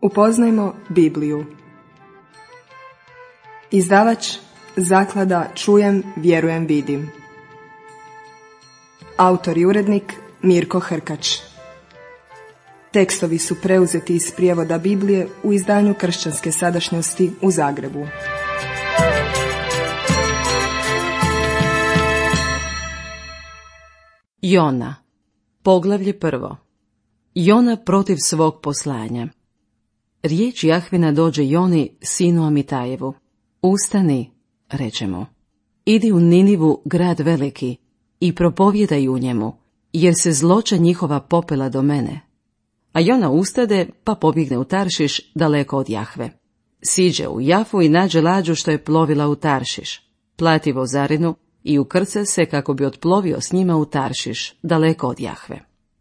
Upoznajmo Bibliju. Izdavač Zaklada Čujem, vjerujem, vidim. Autor i urednik Mirko Hrkač. Tekstovi su preuzeti iz prijevoda Biblije u izdanju Kršćanske sadašnjosti u Zagrebu. Jona, poglavlje 1. Jona protiv svog poslanja. Riječ Jahvina dođe Joni, sinu Amitajevu. Ustani, reče mu, idi u Ninivu, grad veliki, i propovijedaj u njemu, jer se zloća njihova popela do mene. A Jona ustade, pa pobjegne u Taršiš, daleko od Jahve. Siđe u Jafu i nađe lađu što je plovila u Taršiš. Plati vozarinu i ukrca se kako bi otplovio s njima u Taršiš, daleko od Jahve.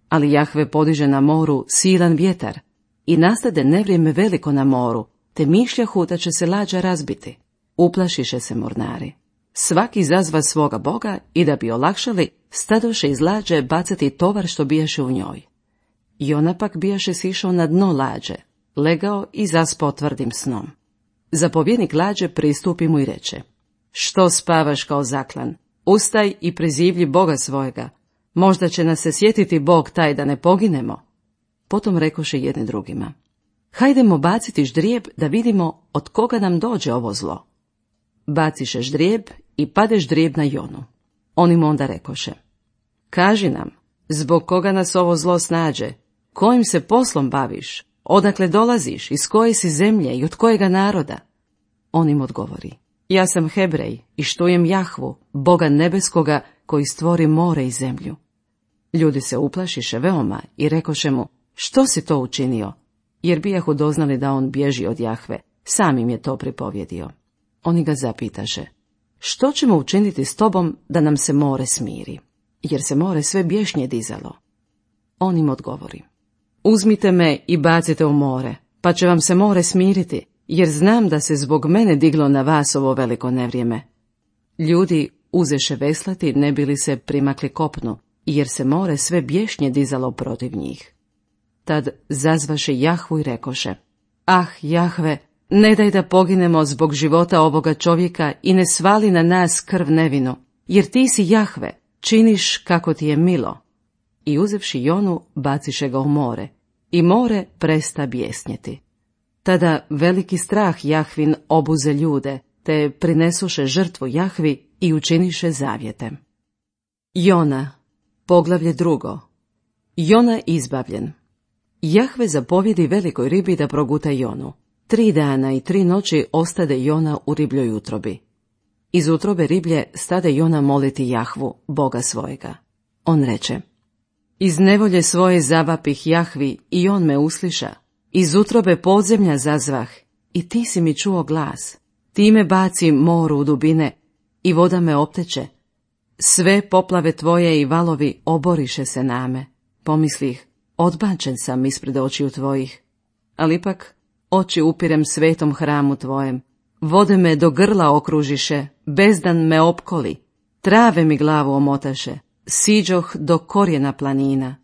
Ali Jahve podiže na moru silan vjetar i nastade nevrijeme veliko na moru, te mišljahu da će se lađa razbiti. Uplašiše se mornari. Svaki zazva svoga boga i da bi olakšali, stadoše iz lađe bacati tovar što bijaše u njoj. Jona pak bijaše sišao na dno lađe, legao i zaspao tvrdim snom. Zapovjednik lađe pristupi mu i reče, što spavaš kao zaklan? Ustaj i prizivlji Boga svojega. Možda će nas se sjetiti Bog taj da ne poginemo. Potom rekoše jedni drugima, hajdemo baciti ždrijeb da vidimo od koga nam dođe ovo zlo. Baciše ždrijeb i pade ždrijeb na Jonu. Oni mu onda rekoše, kaži nam, zbog koga nas ovo zlo snađe, kojim se poslom baviš, odakle dolaziš, iz koje si zemlje i od kojega naroda? On im odgovori, ja sam Hebrej i štujem Jahvu, Boga nebeskoga koji stvori more i zemlju. Ljudi se uplašiše veoma i rekoše mu, što si to učinio? Jer bijahu doznali da on bježi od Jahve, sam im je to pripovjedio. Oni ga zapitaše, što ćemo učiniti s tobom da nam se more smiri? Jer se more sve bješnje dizalo. On im odgovori, uzmite me i bacite u more, pa će vam se more smiriti, jer znam da se zbog mene diglo na vas ovo veliko nevrijeme. Ljudi uzeše veslati ne bili se primakli kopnu, jer se more sve bješnje dizalo protiv njih. Tad zazvaše Jahvu i rekoše, ah, Jahve, ne daj da poginemo zbog života ovoga čovjeka i ne svali na nas krv nevinu, jer ti si Jahve, činiš kako ti je milo. I uzevši Jonu, baciše ga u more, i more presta bjesnjeti. Tada veliki strah Jahvin obuze ljude, te prinesuše žrtvu Jahvi i učiniše zavjete. Jona, poglavlje 2. Jona izbavljen. Jahve zapovjedi velikoj ribi da proguta Jonu. 3 dana i 3 noći ostade Jona u ribljoj utrobi. Iz utrobe riblje stade Jona moliti Jahvu, Boga svojega. On reče, iz nevolje svoje zavapih Jahvi i on me usliša. Iz utrobe podzemlja zazvah i ti si mi čuo glas. Ti me baci moru u dubine i voda me opteče. Sve poplave tvoje i valovi oboriše se name. Pomislih, odbačen sam ispred očiju tvojih. Ali ipak oči upirem svetom hramu tvojem. Vode me do grla okružiše, bezdan me opkoli. Trave mi glavu omotaše, siđoh do korijena planina.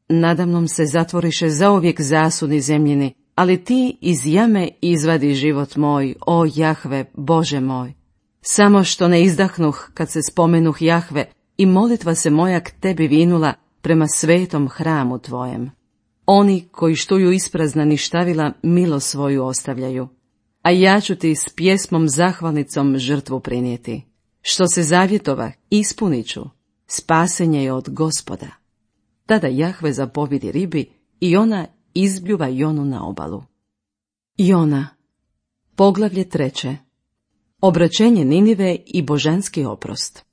Nadamnom se zatvoriše zauvijek zasudi zemljini, ali ti iz jame izvadi život moj, o Jahve, Bože moj. Samo što ne izdahnuh kad se spomenuh Jahve i molitva se moja k tebi vinula prema svetom hramu tvojem. Oni koji štuju isprazna ništavila milo svoju ostavljaju, a ja ću ti s pjesmom zahvalnicom žrtvu prinijeti. Što se zavjetova, ispunit ću, spasenje je od Gospoda. Tada Jahve zapovjedi ribi i ona izbljuva Jonu na obalu. Jona, poglavlje 3. Obraćenje Ninive i božanski oprost.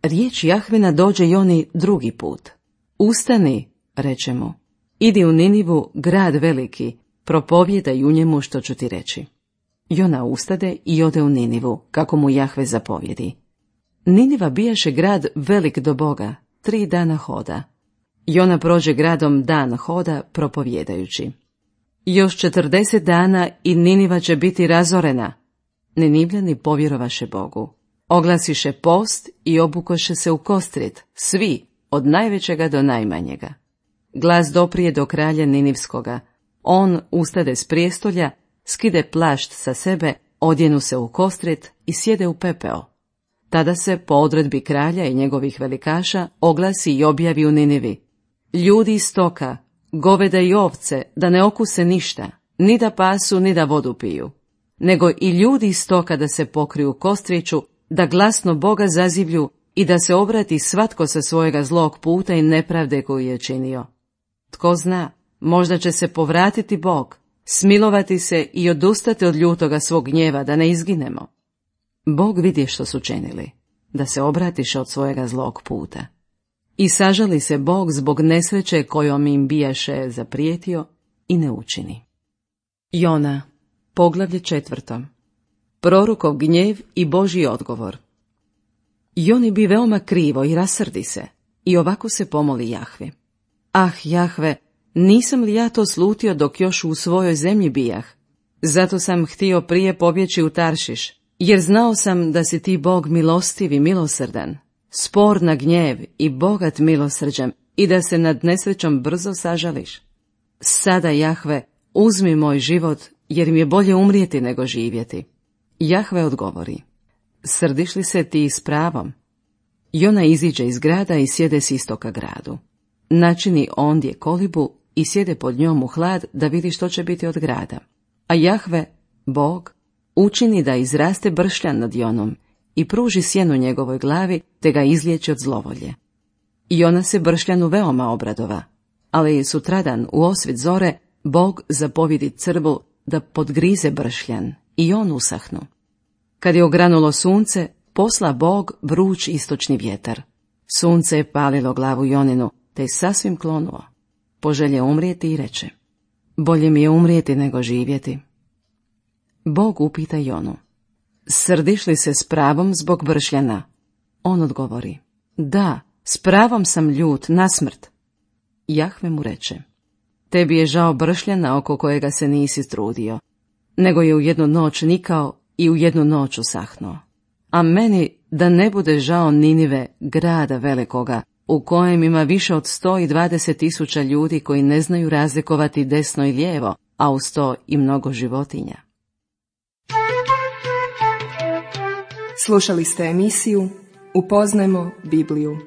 Riječ Jahvina dođe Joni 2. put. Ustani, reče mu, idi u Ninivu, grad veliki, propovijedaj u njemu što ću ti reći. Jona ustade i ode u Ninivu, kako mu Jahve zapovjedi. Niniva bijaše grad velik do Boga, 3 dana hoda. Jona prođe gradom dan hoda, propovjedajući. Još 40 dana i Niniva će biti razorena. Ninivljani povjerovaše Bogu. Oglasiše post i obukoše se u kostrit, svi, od najvećega do najmanjega. Glas doprije do kralja Ninivskoga, On ustade s prijestolja, skide plašt sa sebe, odjenu se u kostrit i sjede u pepeo. Tada se, po odredbi kralja i njegovih velikaša, oglasi i objavi u Ninivi: ljudi iz stoka, goveda i ovce, da ne okuse ništa, ni da pasu, ni da vodu piju, nego i ljudi iz stoka da se pokriju kostriću, da glasno Boga zazivlju i da se obrati svatko sa svojega zlog puta i nepravde koju je činio. Tko zna, možda će se povratiti Bog, smilovati se i odustati od ljutoga svog gnjeva, da ne izginemo. Bog vidi što su činili, da se obratiše od svojega zlog puta. I sažali se Bog zbog nesreće kojom im bijaše zaprijetio i ne učini. Jona, poglavlje 4. Prorokov gnjev i Božji odgovor. Joni bi veoma krivo i rasrdi se, i ovako se pomoli Jahvi: ah, Jahve, nisam li ja to slutio dok još u svojoj zemlji bijah? Zato sam htio prije pobjeći u Taršiš, jer znao sam da si ti Bog milostiv i milosrdan, spor na gnjev i bogat milosrđem, i da se nad nesrećom brzo sažališ. Sada, Jahve, uzmi moj život, jer mi je bolje umrijeti nego živjeti. Jahve odgovori: srdiš li se ti s pravom? Jona iziđe iz grada i sjede s istoka gradu. Načini ondje kolibu i sjede pod njom u hlad da vidi što će biti od grada. A Jahve, Bog, učini da izraste bršljan nad Jonom i pruži sjenu njegovoj glavi, te ga izliječi od zlovolje. Jona se bršljanu veoma obradova, ali sutradan u osvit zore Bog zapovjedi crvu da podgrize bršljan i on usahnu. Kad je ogranulo sunce, posla Bog vruć istočni vjetar. Sunce je palilo glavu Joninu, te je sasvim klonuo. Poželje umrijeti i reče: bolje mi je umrijeti nego živjeti. Bog upita Jonu: srdiš li se s pravom zbog bršljana? On odgovori: da, s pravom sam ljut na smrt. Jahve mu reče: tebi je žao bršljana oko kojega se nisi trudio, nego je u jednu noć nikao i u jednu noć usahnuo. A meni da ne bude žao Ninive, grada velikoga, u kojem ima više od 120.000 ljudi koji ne znaju razlikovati desno i lijevo, a uz to i mnogo životinja. Slušali ste emisiju Upoznajmo Bibliju.